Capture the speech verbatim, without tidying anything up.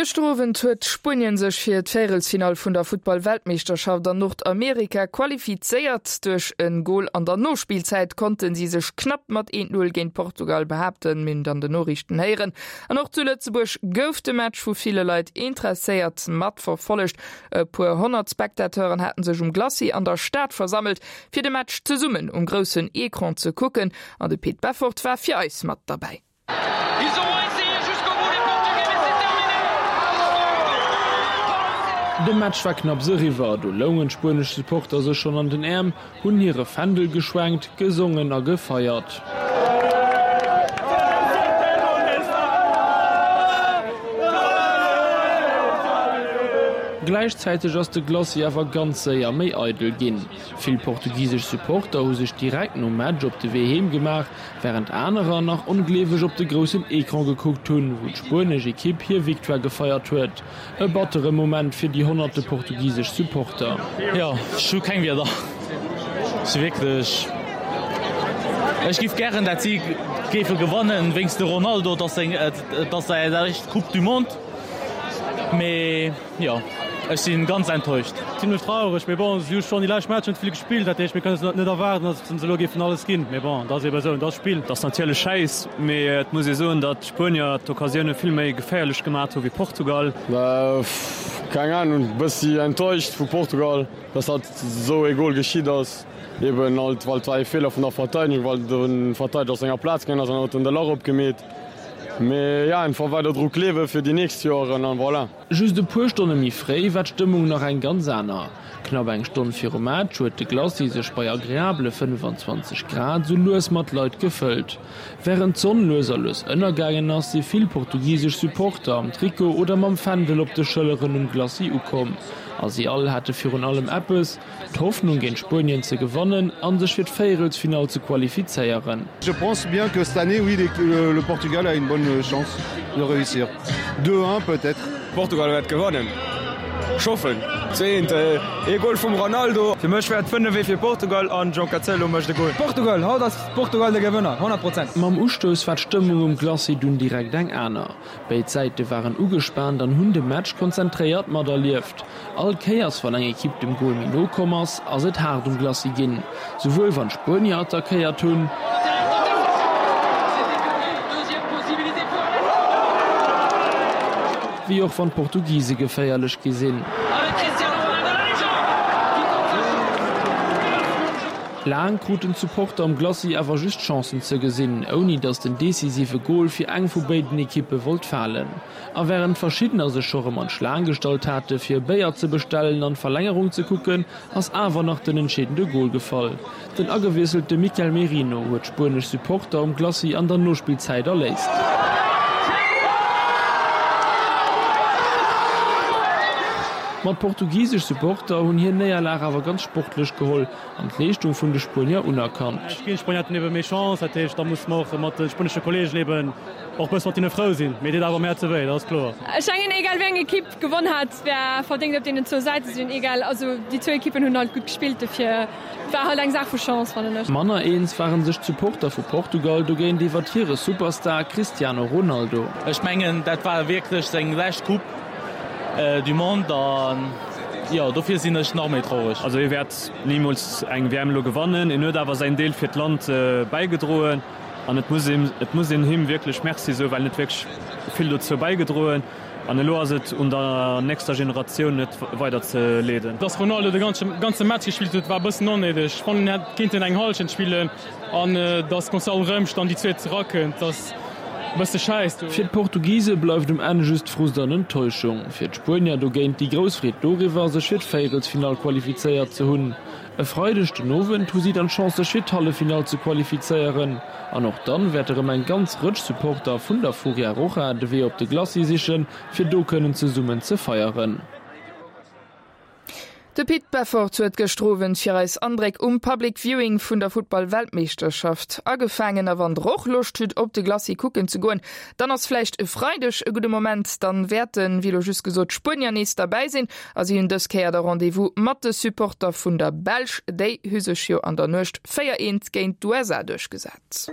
Gëschter Owend huet Spuenien sech fir d'Véierelsfinall vun der Futtball-Weltmeeschterschaft an Nordamerika qualifizéiert. Duerch e Gol an der Nospillzäit konnte si sech knapp mat eent Null géint Portugal behaapten, mir hunn et an den Noriichten héieren. An och zu Lëtzebuerg gouf de Match vu ville Leit interesséiert matverfollegt. E puer honnert Spectateuren haten sech um Glacis an der Stad versammelt, fir de Match zesummen um groussen Ecran ze kucken. An de Pit Beffort war fir eis mat derbäi. De Match war knapps eriwwer, do loungen d'spuenesch Supporter sech schonn an den Äerm, hunn hire Fändel geschwenkt, gesongen a gefeiert. Gläichzäiteg ass de Glacis awer ganz séier méi eidel ginn. Vill portugisesch Supporter hu sech direkt nom Match op de Wee heem gemaach, wärend anerer nach ongleeweg op de groussen Ecran gekuckt hunn, wou d'spuenesch Ekipp hir Victoire gefeiert huet. E battere Moment fir déi honnerte portugisesch Supporter. Jo, ech hu keng Wierder. Ech si wierklech, ech giff gären dat si géife gewannen wéinst de Ronaldo, et ass seng, et ass säi éischt Coupe du Monde, mee jo, ech si ganz enttäuscht. Zimlech traureg, mee bon, si hu schonn déi lescht Matcher net vill gespillt, dat heescht mir kënnen net erwaarden, datt se elo géifen alles ginn, mee bon, et ass ebe esou, et ass Spill. Et ass natierlech schäiss, mee et muss ee soen, datt d'Spuenier d'Occasioune vill méi geféierlech gemat hu wéi Portugal. Keng Ahnung, bëssi enttäuscht vu Portugal, dass dat esou ee Gol geschitt ass, eben halt well et war ee Feeler vun der Verteidegung, well de Verteideger aus senger Plaz gaangen ass an huet en de Lach opgemeet. Mee ja, einfach weider dru gleewe fir déi nächst Joeren an voilà. Just e puer Stonne méi fréi war d'Stëmmung nach eng ganz aner. Knapp eng Stonn virum Match huet de Glacis sech bei agreabele fënnefan zwanzeg Grad sou lues mat Leit gefëllt. Wärend d'Sonn lues a lues ënnergaangen ass, si vill portugisesch Supporter am Trikot oder mam Fändel op de Schëlleren um Glacis ukomm. A si all hate virun allem eppes, d'Hoffnung géint Spuenien ze gewannen a sech fir d'Véierelsfinall ze qualifizéieren. Je pense bien que cette année, oui, le Portugal a une bonne chance de réussir. Deux un peut-être. Portugal wäert gewannen. Ech hoffen. Zwee eent, ee Goal vum Ronaldo. Fir mech wär et fënnef ee fir Portugal an João Cancelo mécht e Goal. Portugal, haut ass Portugal de Gewënner, honnert Prozent. Mam Ustouss war d'Stëmmung um Glacis dunn direkt eng aner. Béid Säite waren ugespaant an hunn de Match konzentréiert materlieft. All Kéiers wann eng Ekipp dem Gol méi no komm ass, ass et haart um Glacis ginn. Souwuel wann d'Spuenier attackéiert hunn, wéi och wann d'Portugise geféierlech gi sinn. Laang kruten d'Supporter um Glacis awer just Chancen ze gesinn, ouni datt den decisive Gol fir eng vu béiden Ekippe wollt falen. A wärend verschiddener sech scho rëm an d'Schlaang gestallt hate fir e Béier ze bestellen an d'Verlängerung ze kucken, ass awer nach den entscheedende Gol gefall. Den agewiesselte Mikel Merino huet d'spuenesch Supporter um Glacis an der Nospillzäit erléist. Ma d'portugisesch Supporter hunn hir Néierlag awer ganz sportlech geholl an d'Leeschtung vun de Spuenier unerkannt. D'Spuenier haten ebe méi Chance, dat heescht da musse mer och mat de spuenesche Kolleegen eben och bësse mat hinne frou sinn. Mee deet awer am Häerze wéi, dat ass kloer. Ech mengen egal wéi eng Ekipp gewonn hat, war verdéngt op deenen zwou Säite sinn. Egal, also déi zwou Ekippen hunn halt gutt gespillt, dofir war halt eng Saach vu Chance, fannen ech. Manner eens ware sech d'Supporter vu Portugal dogéint iwwert hire Superstar Cristiano Ronaldo. Ech mengen dat war wierklech seng lescht Coupe du Monde an jo dofir sinn ech nach méi traureg. Also hie wäert nimools eng W M elo gewannen, en huet awer säin Deel fir d'Land bäigedroen an et muss een et muss een him wierklech Merci soen, well en huet wierklech vill dozou bäigedroen. An elo ass et un der nächster Generatioun et weider ze leeden. Dass Ronaldo de ganze Match gespillt huet war e bëssen onnéideg. Ech fannen en hätt kéinten eng Hallschent spillen an dass Gonçalo Ramos dann déi zweet erakënnt ass e bësse schäiss. Fir d'Portugise bleift um Enn just Frust an Enttäuschung. Fir d'Spuenier dogéint déi grouss Freed doriwwer, sech fir d'Véierelsfinall qualifizéiert ze hunn. E Freideg den Owend hu si dann d'Chance sech fir d'Halleffinall ze qualifizéieren an och dann wäert erëm eng ganz Rëtsch Supporter vun der Furia Roja de Wee op de Glacis sichen, fir do kënnen zesummen ze feieren. De Pit Beffort huet gëschter Owend fir eis Andréck um Public Viewing vun der Futtball-Weltmeeschterschaft agefaangen. A wann der och Loscht hutt op de Glacis kucken ze goen, dann ass vläicht e Freideg e gudde Moment. Dann wäerten, wéi elo just gesot, d'Spuenier nees derbäi sinn. A si hunn dës Kéier da Rendez-vous mat de Supporter vun der Belsch. Déi hu sech jo an der Nuecht véier eent géint d'U S A duerchgesat.